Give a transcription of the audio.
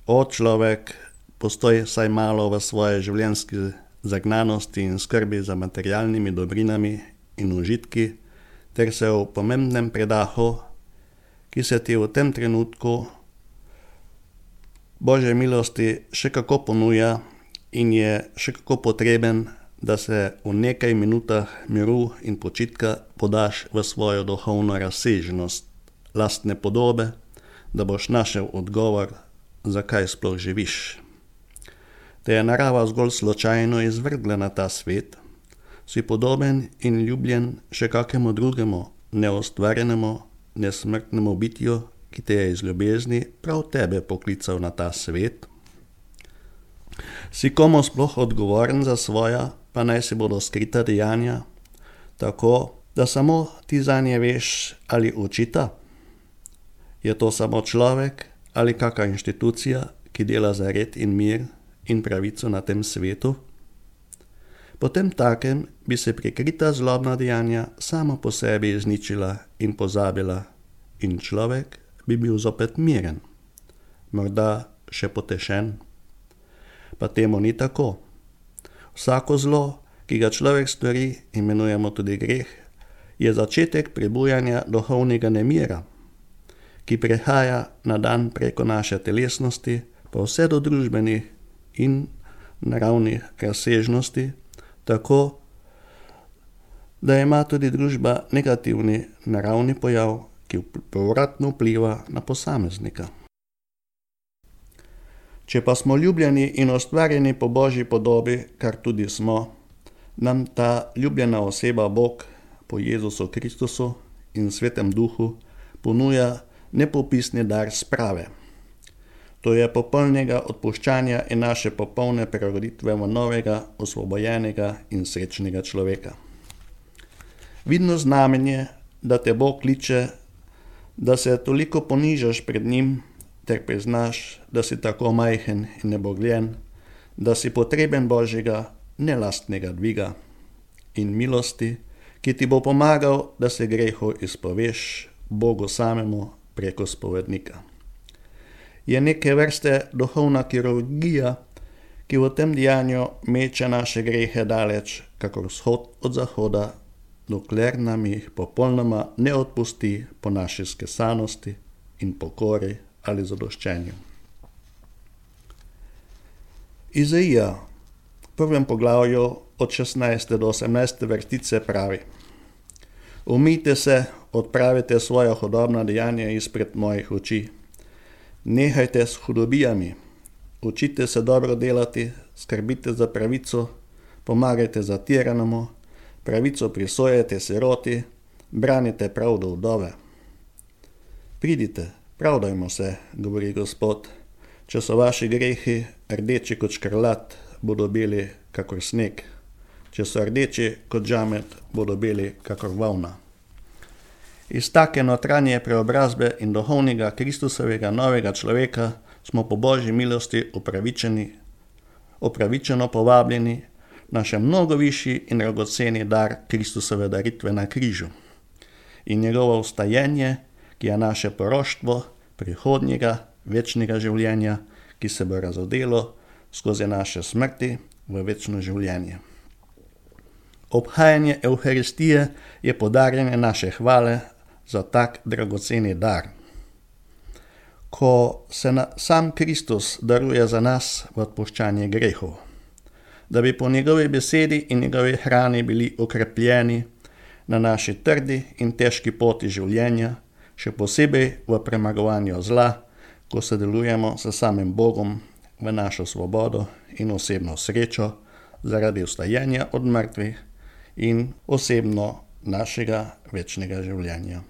človek, postoj vsaj malo v svoje življenjski zagnanosti in skrbi za materialnimi dobrinami in užitki, ter se v pomembnem predahu, ki se ti v tem trenutku Božje milosti še kako ponuja in je še kako potreben, da se v nekaj minutah miru in počitka podaš v svojo duhovno razsežnost lastne podobe, da boš našel odgovor, zakaj sploh živiš. Te je narava zgolj slučajno izvrgla na ta svet, si podoben in ljubljen še kakemu drugemu, neustvarjenemu, nesmrtnemu bitju, ki te je iz ljubezni prav tebe poklical na ta svet. Si komu sploh odgovoren za svoja, pa naj si bodo skrita dejanja, tako, da samo ti zanje veš ali očita? Je to samo človek ali kaka inštitucija, ki dela za red in mir in pravico na tem svetu? Potem takem bi se prikrita zlobna dejanja samo po sebi izničila in pozabila in človek bi bil zopet miren, morda še potešen. Pa temu ni tako. Vsako zlo, ki ga človek stori, imenujemo tudi greh, je začetek prebujanja duhovnega nemira, ki prehaja na dan preko naše telesnosti, pa vse do družbenih in naravnih razsežnosti, tako, da ima tudi družba negativni naravni pojav, ki povratno vpliva na posameznika. Če pa smo ljubljeni in ustvarjeni po Božji podobi, kar tudi smo, nam ta ljubljena oseba Bog po Jezusu Kristusu in Svetem Duhu ponuja nepopisni dar sprave. To je popolnega odpuščanja in naše popolne preroditve v novega, osvobojenega in srečnega človeka. Vidno znamenje, da te Bog kliče, da se toliko ponižaš pred njim, ter priznaš, da si tako majhen in nebogljen, da si potreben Božjega nelastnega dviga in milosti, ki ti bo pomagal, da se grehu izpoveš Bogu samemu preko spovednika. Je neke vrste duhovna kirurgija, ki v tem dejanju meče naše grehe daleč, kakor vzhod od zahoda, dokler nam jih popolnoma ne odpusti po naši skesanosti in pokori ali zadoščenju. Izaija v 1. poglavju od 16. do 18. vrstice pravi: Umijte se, odpravite svoja hudobna dejanja izpred mojih oči. Nehajte s hudobijami, učite se dobro delati, skrbite za pravico, pomagajte zatiranemu, pravico prisojajte siroti, branite pravdo vdove. Pridite, pravdajmo se, govori Gospod, če so vaši grehi rdeči kot škrlat, bodo beli kakor sneg, če so rdeči kot žamet, bodo beli kakor volna. Iz take notranje preobrazbe in duhovnega Kristusovega novega človeka smo po Božji milosti upravičeno povabljeni na še mnogo višji in dragoceni dar Kristusove daritve na križu in njegovo vstajenje, ki je naše poroštvo prihodnjega večnega življenja, ki se bo razodelo skozi naše smrti v večno življenje. Obhajanje Evharistije je podarjanje naše hvale za tak dragoceni dar. Ko se sam Kristus daruje za nas v odpuščanje grehov, da bi po njegovi besedi in njegovi hrani bili okrepljeni na naši trdi in težki poti življenja, še posebej v premagovanju zla, ko sodelujemo s samim Bogom v našo svobodo in osebno srečo zaradi vstajenja od mrtvih in osebno našega večnega življenja.